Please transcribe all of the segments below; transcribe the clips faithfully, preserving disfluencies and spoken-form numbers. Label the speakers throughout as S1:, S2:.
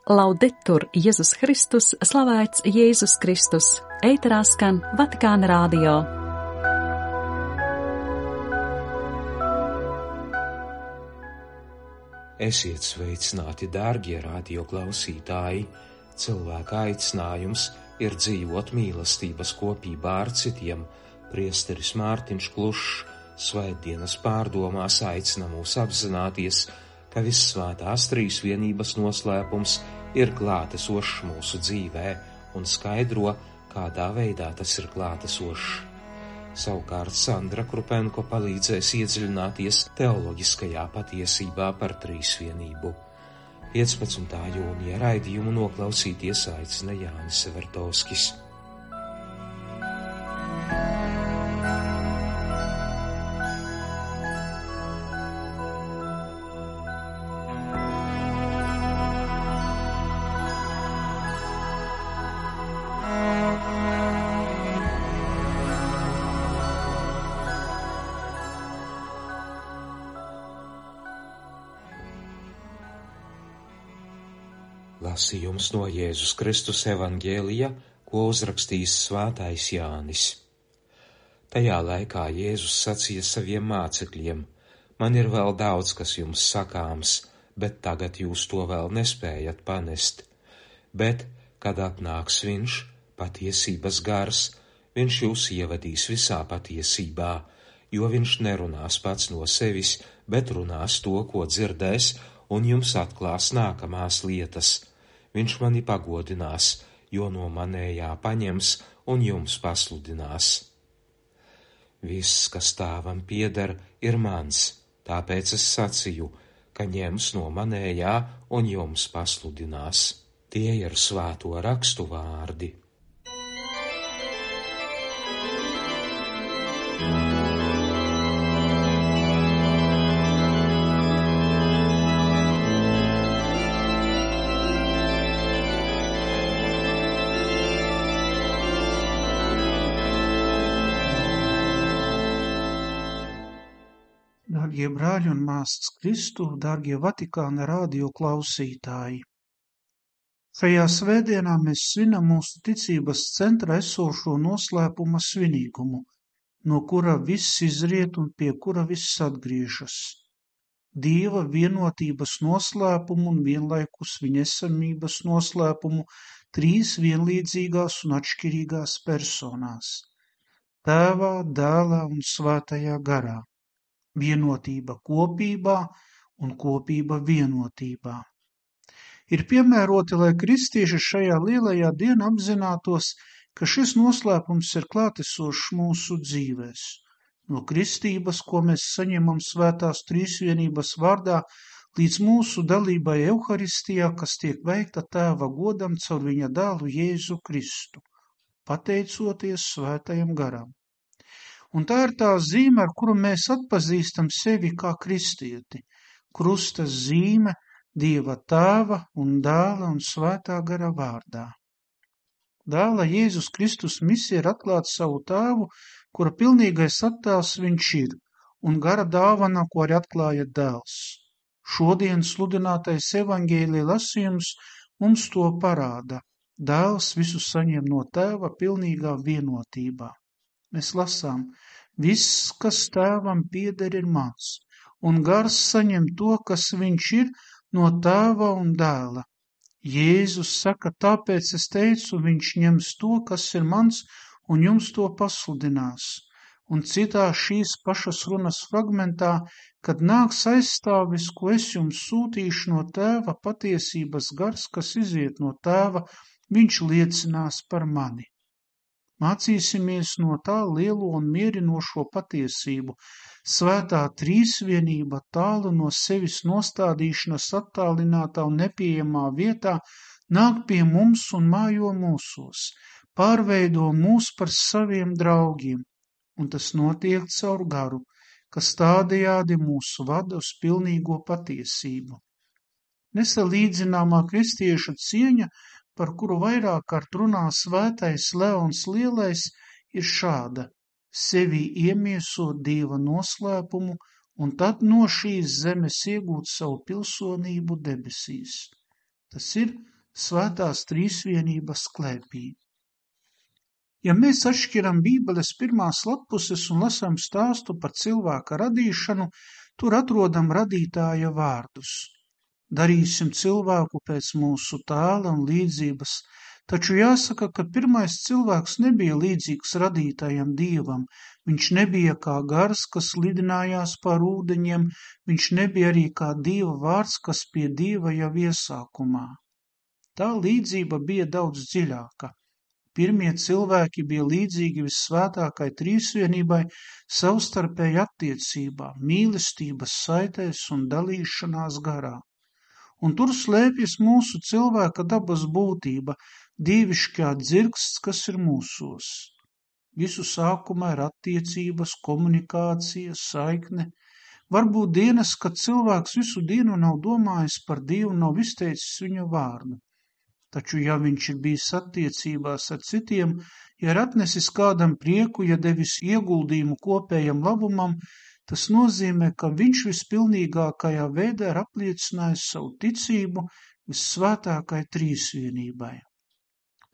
S1: Laudetur Jēzus Kristus, slavēts Jēzus Kristus, ēterā skan Vatikāna radio.
S2: Esiet sveicināti, dārgie radio klausītāji! Cilvēka aicinājums ir dzīvot mīlestības kopībā ar citiem. Priesteris Mārtiņš Klušs svētdienas pārdomās aicina mūs apzināties, ka Vissvētās Trīsvienības noslēpums ir klātesošs mūsu dzīvē un skaidro, kādā veidā tas ir klātesošs. Savukārt Sandra Krupenko palīdzēs iedziļināties teoloģiskajā patiesībā par Trīsvienību. piecpadsmitā jūnija raidījumu noklausīties aicina Jānis Severtovskis. Lasījums no Jēzus Kristus evanģēlija, ko uzrakstījis svētais Jānis. Tajā laikā Jēzus sacīja saviem mācekļiem: Man ir vēl daudz, kas jums sakāms, bet tagad jūs to vēl nespējat panest. Bet, kad atnāks viņš, patiesības gars, viņš jūs ievadīs visā patiesībā, jo viņš nerunās pats no sevis, bet runās to, ko dzirdēs, un jums atklās nākamās lietas. Viņš mani pagodinās, jo no manējā paņems un jums pasludinās. Viss, kas tēvam pieder, ir mans, tāpēc es sacīju, ka ņems no manējā un jums pasludinās. Tie ir svēto rakstu vārdi.
S3: Dārgie brāļi un māsas Kristu, dārgie Vatikāna radio klausītāji! Šajā svētdienā mēs svinam mūsu ticības centra esošo noslēpuma svinīgumu, no kura viss izriet un pie kura viss atgriežas. Dieva vienotības noslēpumu un vienlaikus viņa esamības noslēpumu trīs vienlīdzīgās un atšķirīgās personās – Tēvā, Dēlā un Svētajā garā. Vienotība kopībā un kopība vienotībā. Ir piemēroti, lai kristieši šajā lielajā dienā apzinātos, ka šis noslēpums ir klātesošs mūsu dzīvēs. No kristības, ko mēs saņemam Svētās Trīsvienības vārdā, līdz mūsu dalībai Euharistijā, kas tiek veikta Tēva godam caur viņa dēlu Jēzu Kristu, pateicoties Svētajam garam. Un tā ir tā zīme, ar kuru mēs atpazīstam sevi kā kristieti. Krusta zīme Dieva Tēva un Dēla un Svētā gara vārdā. Dēla Jēzus Kristus misija ir atklāt savu Tēvu, kura pilnīgais attēls viņš ir, un gara dāvana, ko arī atklāja Dēls. Šodien sludinātais evaņģēlija lasījums mums to parāda. Dēls visu saņem no Tēva pilnīgā vienotībā. Mēs lasām: Viss, kas Tēvam pieder, ir mans, un gars saņem to, kas viņš ir, no Tēva un Dēla. Jēzus saka: Tāpēc es teicu, viņš ņems to, kas ir mans, un jums to pasludinās. Un citā šīs pašas runas fragmentā, kad nāks aizstāvis, ko es jums sūtīšu no Tēva, patiesības gars, kas iziet no Tēva, viņš liecinās par mani. Mācīsimies no tā lielo un mierinošo patiesību. Svētā Trīsvienība tālu no sevis nostādīšanas attālinātā un nepieejamā vietā nāk pie mums un mājo mūsos, pārveido mūs par saviem draugiem, un tas notiek caur garu, kas tādējādi mūs vada uz pilnīgo patiesību. Nesalīdzināmā kristiešu cieņa, par kuru vairāk kārt runā svētais Leons Lielais, ir šāda: sevi iemiesot Dieva noslēpumu un tad no šīs zemes iegūt savu pilsonību debesīs. Tas ir Svētās trīsvienības klēpī. Ja mēs atšķiram Bībeles pirmās lappuses un lasām stāstu par cilvēka radīšanu, tur atrodam radītāja vārdus. Darīsim cilvēku pēc mūsu tēla un līdzības, taču jāsaka, ka pirmais cilvēks nebija līdzīgs radītājam Dievam, viņš nebija kā gars, kas lidinājās pār ūdeņiem, viņš nebija arī kā Dieva vārds, kas pie Dieva jau iesākumā. Tā līdzība bija daudz dziļāka. Pirmie cilvēki bija līdzīgi vissvētākai trīsvienībai savstarpēji attiecībā, mīlestības saitēs un dalīšanās garā. Un tur slēpjas mūsu cilvēka dabas būtība, dievišķā dzirksts, kas ir mūsos. Visu sākumā ir attiecības, komunikācija, saikne. Varbūt dienas, kad cilvēks visu dienu nav domājis par Dievu, nav izteicis viņa vārdu. Taču, ja viņš ir bijis attiecībās ar citiem, ja ir atnesis kādam prieku, ja devis ieguldījumu kopējam labumam, tas nozīmē, ka viņš vispilnīgākajā veidā ir apliecinājis savu ticību vissvētākai trīsvienībai.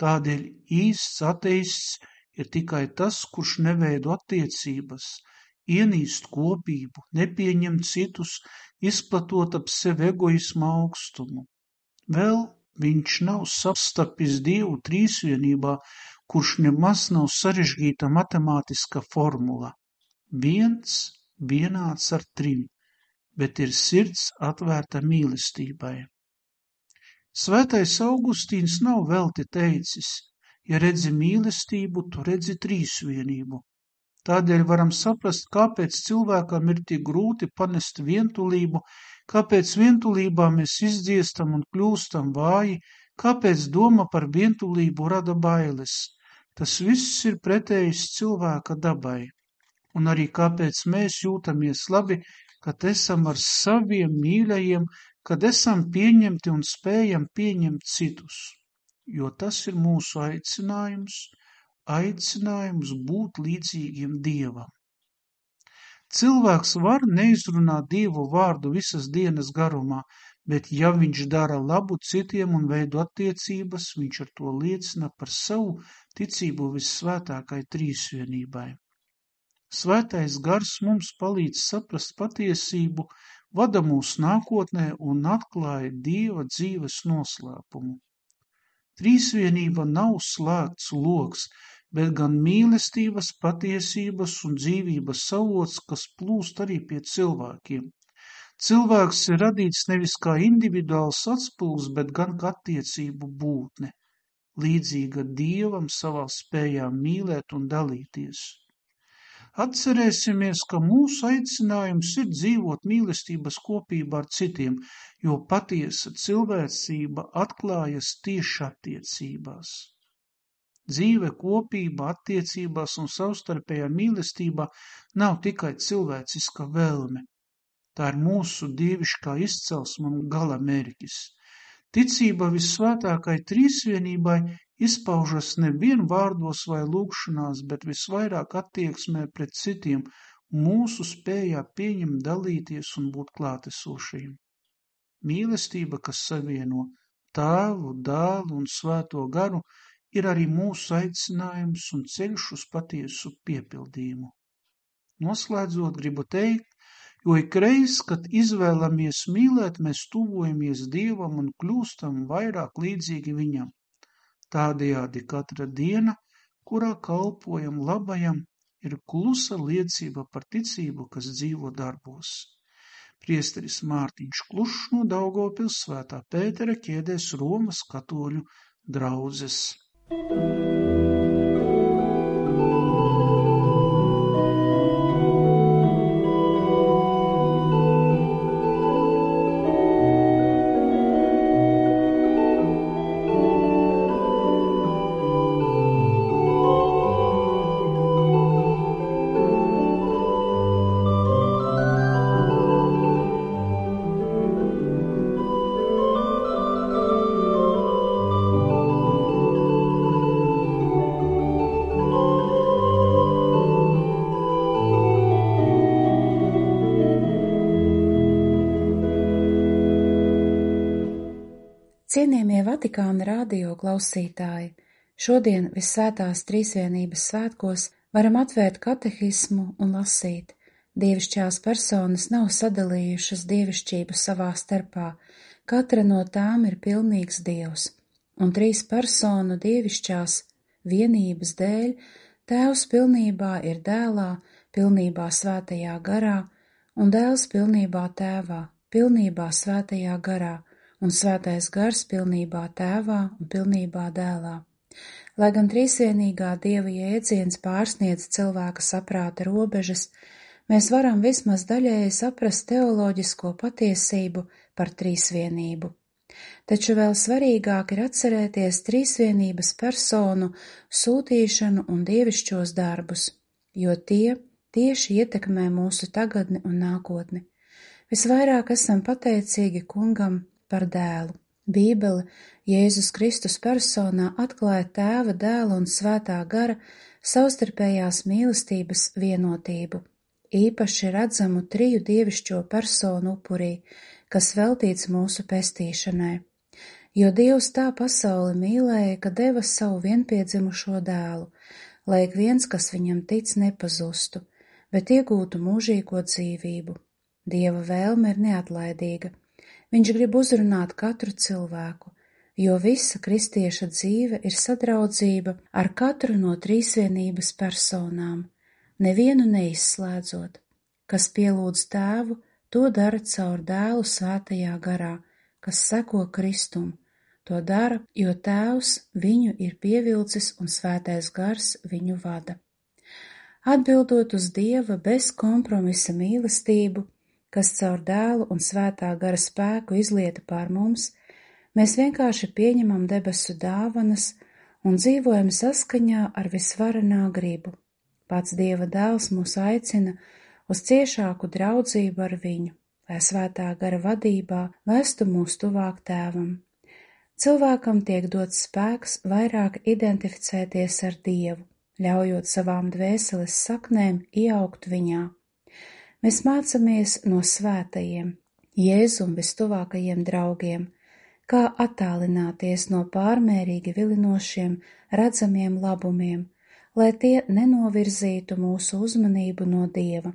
S3: Tādēļ īsts ateists ir tikai tas, kurš neveido attiecības, ienīst kopību, nepieņem citus, izplatot ap sevi egoisma augstumu. Vēl viņš nav sastapis Dievu trīsvienībā, kurš nemaz nav sarežģīta matemātiska formula. Viens vienāds ar trim, bet ir sirds atvērta mīlestībai. Svētais Augustīns nav velti teicis, ja redzi mīlestību, tu redzi trīsvienību. Tādēļ varam saprast, kāpēc cilvēkam ir tik grūti panest vientulību, kāpēc vientulībā mēs izdziestam un kļūstam vāji, kāpēc doma par vientulību rada bailes. Tas viss ir pretējs cilvēka dabai. Un arī kāpēc mēs jūtamies labi, kad esam ar saviem mīļajiem, kad esam pieņemti un spējam pieņemt citus. Jo tas ir mūsu aicinājums, aicinājums būt līdzīgiem Dievam. Cilvēks var neizrunāt Dievu vārdu visas dienas garumā, bet ja viņš dara labu citiem un veido attiecības, viņš ar to liecina par savu ticību vissvētākai trīsvienībai. Svētais gars mums palīdz saprast patiesību, vada mūs nākotnē un atklāja Dieva dzīves noslēpumu. Trīsvienība nav slēgts loks, bet gan mīlestības, patiesības un dzīvības avots, kas plūst arī pie cilvēkiem. Cilvēks ir radīts nevis kā individuāls atspulgs, bet gan kā attiecību būtne, līdzīga Dievam savā spējā mīlēt un dalīties. Atcerēsimies, ka mūsu aicinājums ir dzīvot mīlestības kopībā ar citiem, jo patiesa cilvēcība atklājas tieši attiecībās. Dzīve kopībā, attiecībās un savstarpējā mīlestībā nav tikai cilvēciska vēlme. Tā ir mūsu dievišķā izcelsme un gala mērķis. Ticība vissvētākai trīsvienībai izpaužas nevien vārdos vai lūgšanās, bet visvairāk attieksmē pret citiem, mūsu spējā pieņemt, dalīties un būt klātesošiem. Mīlestība, kas savieno Tēvu, Dēlu un Svēto garu, ir arī mūsu aicinājums un ceļš uz patiesu piepildījumu. Noslēdzot, gribu teikt, jo ikreiz, kad izvēlamies mīlēt, mēs tuvojamies Dievam un kļūstam vairāk līdzīgi Viņam. Tādējādi katra diena, kurā kalpojam labajam, ir klusa liecība par ticību, kas dzīvo darbos. Priesteris Mārtiņš Klušs no Daugavpils Svētā Pētera ķēdēs Romas katoļu draudzes.
S4: Cienījamie Vatikāna radio klausītāji, šodien Visvētās Trīsvienības svētkos varam atvērt katehismu un lasīt. Dievišķās personas nav sadalījušas dievišķību savā starpā, katra no tām ir pilnīgs Dievs, un trīs personu dievišķās vienības dēļ Tēvs pilnībā ir Dēlā, pilnībā Svētajā garā, un Dēls pilnībā Tēvā, pilnībā Svētajā garā, un Svētais gars pilnībā Tēvā un pilnībā Dēlā. Lai gan trīsvienīgā Dieva jēdziens pārsniedz cilvēka saprāta robežas, mēs varam vismaz daļēji saprast teoloģisko patiesību par trīsvienību. Taču vēl svarīgāk ir atcerēties trīsvienības personu sūtīšanu un dievišķos darbus, jo tie tieši ietekmē mūsu tagadni un nākotni. Visvairāk esam pateicīgi Kungam par Dēlu. Bībele Jēzus Kristus personā atklāja Tēva, Dēla un Svētā gara savstarpējās mīlestības vienotību, īpaši redzamu triju dievišķo personu upurī, kas veltīts mūsu pestīšanai. Jo Dievs tā pasauli mīlēja, ka deva savu vienpiedzimušo dēlu, lai ik viens, kas viņam tic, nepazustu, bet iegūtu mūžīgo dzīvību. Dieva vēlme ir neatlaidīga. Viņš grib uzrunāt katru cilvēku, jo visa kristieša dzīve ir sadraudzība ar katru no trīsvienības personām, nevienu neizslēdzot. Kas pielūdz Tēvu, to dara caur Dēlu Svētajā garā, kas seko Kristum. To dara, jo Tēvs viņu ir pievilcis un Svētais gars viņu vada. Atbildot uz Dieva bez kompromisa mīlestību, kas caur Dēlu un Svētā gara spēku izlieta pār mums, mēs vienkārši pieņemam debesu dāvanas un dzīvojam saskaņā ar visvarenā gribu. Pats Dieva dēls mūs aicina uz ciešāku draudzību ar viņu, lai Svētā gara vadībā vestu mūs tuvāk Tēvam. Cilvēkam tiek dots spēks vairāk identificēties ar Dievu, ļaujot savām dvēseles saknēm ieaugt viņā. Mēs mācamies no svētajiem, Jēzum vistuvākajiem draugiem, kā attālināties no pārmērīgi vilinošiem, redzamiem labumiem, lai tie nenovirzītu mūsu uzmanību no Dieva.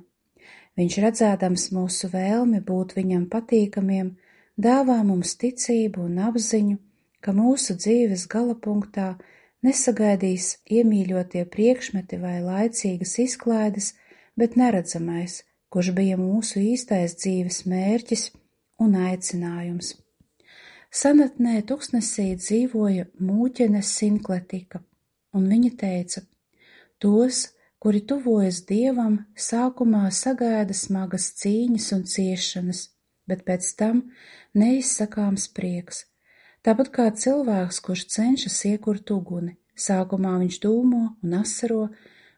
S4: Viņš, redzēdams mūsu vēlmi būt viņam patīkamiem, dāvā mums ticību un apziņu, ka mūsu dzīves galapunktā nesagaidīs iemīļotie priekšmeti vai laicīgas izklaides, bet neredzamais, kurš bija mūsu īstais dzīves mērķis un aicinājums. Senatnē tuksnesī dzīvoja mūķene Sinkletika, un viņa teica: tos, kuri tuvojas Dievam, sākumā sagaida smagas cīņas un ciešanas, bet pēc tam neizsakāms prieks. Tāpat kā cilvēks, kurš cenšas iekurt uguni, sākumā viņš dūmo un asaro,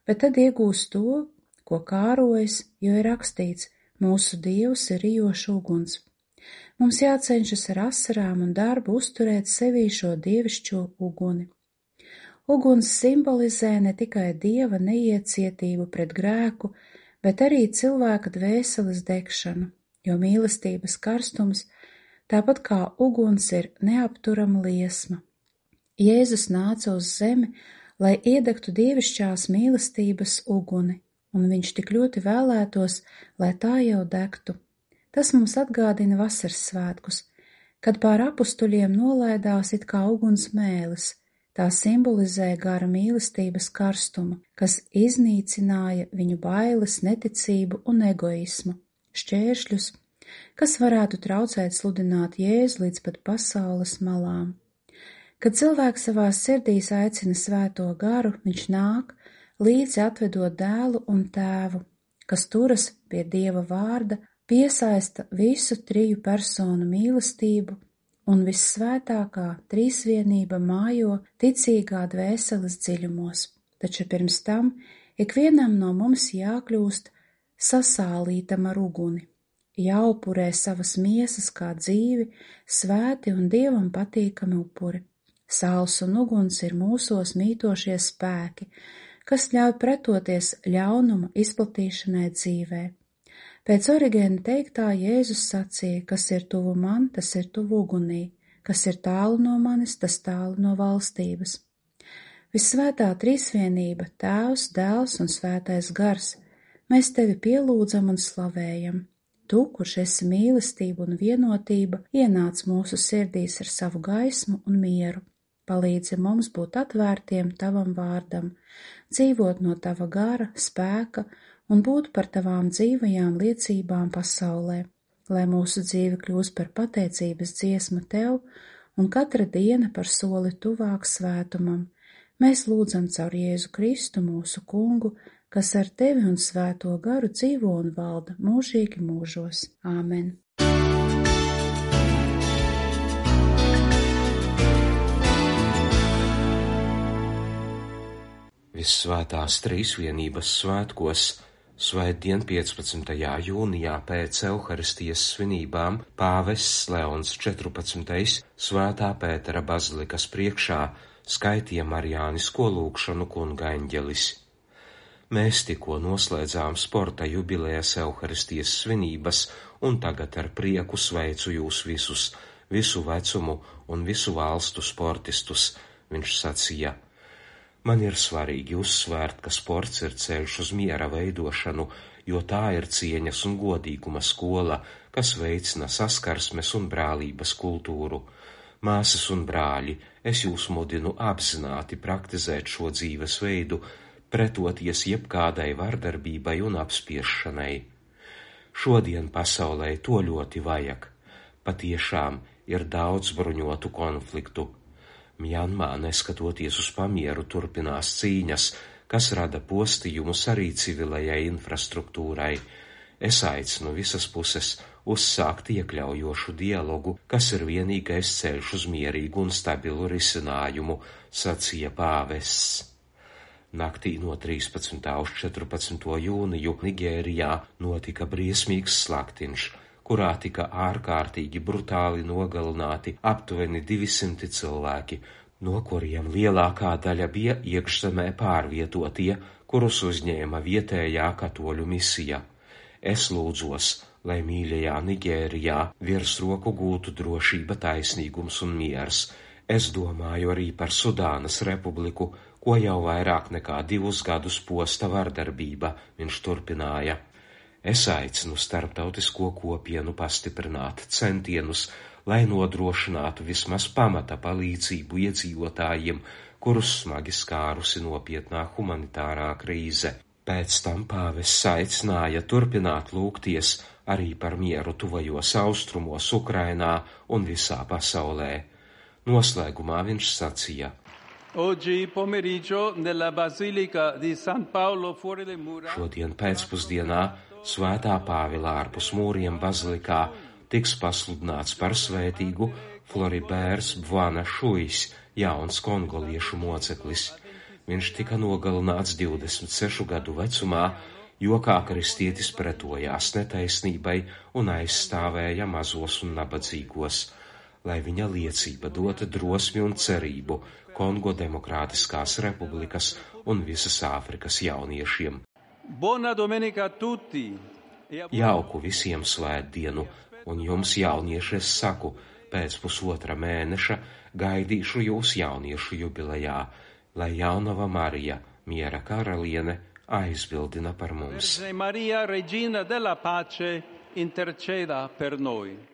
S4: bet tad iegūst to, ko kārojas, jo ir rakstīts: mūsu Dievs ir rijošs uguns. Mums jācenšas ar asarām un darbu uzturēt sevī šo dievišķo uguni. Uguns simbolizē ne tikai Dieva neiecietību pret grēku, bet arī cilvēka dvēseles degšanu, jo mīlestības karstums, tāpat kā uguns, ir neapturama liesma. Jēzus nāca uz zemi, lai iedegtu dievišķās mīlestības uguni, un viņš tik ļoti vēlētos, lai tā jau degtu. Tas mums atgādina vasaras svētkus, kad pār apustuļiem nolaidās it kā uguns mēlis. Tā simbolizē gara mīlestības karstumu, kas iznīcināja viņu bailes, neticību un egoismu, šķēršļus, kas varētu traucēt sludināt Jēzu līdz pat pasaules malām. Kad cilvēks savā sirdīs aicina Svēto garu, viņš nāk, līdzi atvedot Dēlu un Tēvu, kas turas pie Dieva vārda, piesaista visu triju personu mīlestību, un vissvētākā trīsvienība mājo ticīgā dvēseles dziļumos. Taču pirms tam ikvienam no mums jākļūst sasālītam ar uguni, jāupurē savas miesas kā dzīvi, svēti un Dievam patīkami upuri. Sāls un uguns ir mūsos mītošie spēki, kas ļauj pretoties ļaunuma izplatīšanai dzīvē. Pēc Origēna teiktā Jēzus sacīja: kas ir tuvu man, tas ir tuvu ugunī, kas ir tālu no manis, tas tālu no valstības. Vissvētā trīsvienība, Tēvs, Dēls un Svētais Gars, mēs tevi pielūdzam un slavējam. Tu, kurš esi mīlestība un vienotība, ienāc mūsu sirdīs ar savu gaismu un mieru. Palīdzi mums būt atvērtiem tavam vārdam, dzīvot no tava gara, spēka un būt par tavām dzīvajām liecībām pasaulē, lai mūsu dzīve kļūst par pateicības dziesmu tev un katra diena par soli tuvāk svētumam. Mēs lūdzam caur Jēzu Kristu mūsu kungu, kas ar tevi un svēto garu dzīvo un valda mūžīgi mūžos. Āmen.
S2: Vissvētās trīsvienības svētkos, svētdien piecpadsmitajā jūnijā pēc Euharistijas svinībām, pāvests Leons četrpadsmitais Svētā Pētera bazilikas priekšā skaitīja marijānisko lūgšanu kunga eņģelis. Mēs tikko noslēdzām sporta jubilejas Euharistijas svinības, un tagad ar prieku sveicu jūs visus, visu vecumu un visu valstu sportistus, viņš sacīja. Man ir svarīgi uzsvērt, ka sports ir ceļš uz miera veidošanu, jo tā ir cieņas un godīguma skola, kas veicina saskarsmes un brālības kultūru. Māsas un brāļi, es jūs mudinu apzināti praktizēt šo dzīves veidu, pretoties jebkādai vardarbībai un apspiešanai. Šodien pasaulē to ļoti vajag. Patiešām ir daudz bruņotu konfliktu. Mjanmā, neskatoties uz pamieru, turpinās cīņas, kas rada postījumus arī civilajai infrastruktūrai. Es aicinu visas puses uzsākt iekļaujošu dialogu, kas ir vienīgais ceļš uz mierīgu un stabilu risinājumu, sacīja pāvests. Naktī no trīspadsmitā uz četrpadsmito jūniju Nigērijā notika briesmīgs slaktiņš, kurā tika ārkārtīgi brutāli nogalināti aptuveni divsimti cilvēki, no kuriem lielākā daļa bija iekšzemē pārvietotie, kurus uzņēma vietējā katoļu misija. Es lūdzos, lai mīļajā Nigērijā virsroku gūtu drošība, taisnīgums un miers. Es domāju arī par Sudānas republiku, ko jau vairāk nekā divus gadus posta vardarbība, viņš turpināja. Es aicinu starptautisko kopienu pastiprināt centienus, lai nodrošinātu vismaz pamata palīdzību iedzīvotājiem, kurus smagi skārusi nopietnā humanitārā krīze. Pēc tam pāvests aicināja turpināt lūgties arī par mieru tuvajos austrumos, Ukrainā un visā pasaulē. Noslēgumā viņš sacīja. Šodien pēcpusdienā Svētā Pāvila ārpus mūriem bazilikā tiks pasludināts par svētīgu Floribērs Bvana Šuijs, jauns kongoliešu moceklis. Viņš tika nogalināts divdesmit sešu gadu vecumā, jo kā kristietis pretojās netaisnībai un aizstāvēja mazos un nabadzīgos, lai viņa liecība dota drosmi un cerību Kongo Demokrātiskās republikas un visas Āfrikas jauniešiem.
S5: Buona domenica a tutti!
S2: Jauku visiem svētdienu, un jums, jaunieši, es saku, pēc pusotra mēneša gaidīšu jūs jauniešu jubilejā, lai jaunava Marija, miera karaliene, aizbildina par mums.
S5: Maria, Regina della Pace, interceda per noi.